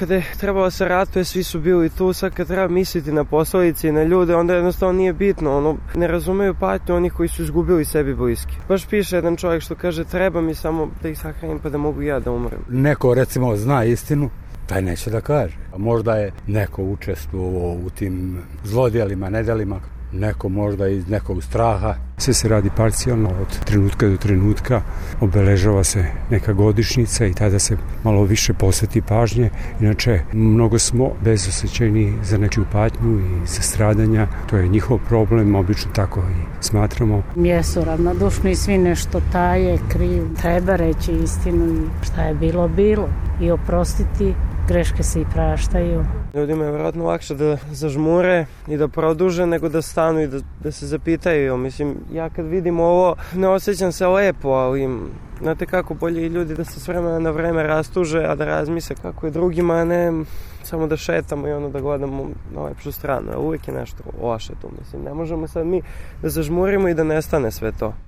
kada je trebalo se ratuje, svi su bili tu, sad kad treba misliti na posledice i na ljude, onda jednostavno nije bitno, ne razumeju patnju onih koji su izgubili sebi bliski. Baš piše jedan čovjek što kaže, treba mi samo da ih sahranim pa da mogu ja da umrem. Neko recimo zna istinu, taj neće da kaže. Možda je neko učestvovao u tim zlodjelima, nedjelima, neko možda iz nekog straha. Sve se radi parcijalno, od trenutka do trenutka, obeležava se neka godišnjica i tada se malo više posveti pažnje. Inače, mnogo smo bezosjećajni za nečiju patnju i za stradanja. To je njihov problem, obično tako i smatramo. Jesu ravnodušni i svi nešto taje, kriju. Treba reći istinu i šta je bilo, bilo. I oprostiti, greške se i praštaju. Ljudima je vjerojatno lakše da zažmure i da produže nego da stanu i da se zapitaju. Mislim, ja kad vidim ovo ne osjećam se lepo, ali znate kako, bolje i ljudi da se s vremena na vreme rastuže, a da razmisle kako je drugima, a ne samo da šetamo i da gledamo na lepšu stranu. Uvijek je nešto loše tu, mislim. Ne možemo sad mi da zažmurimo i da nestane sve to.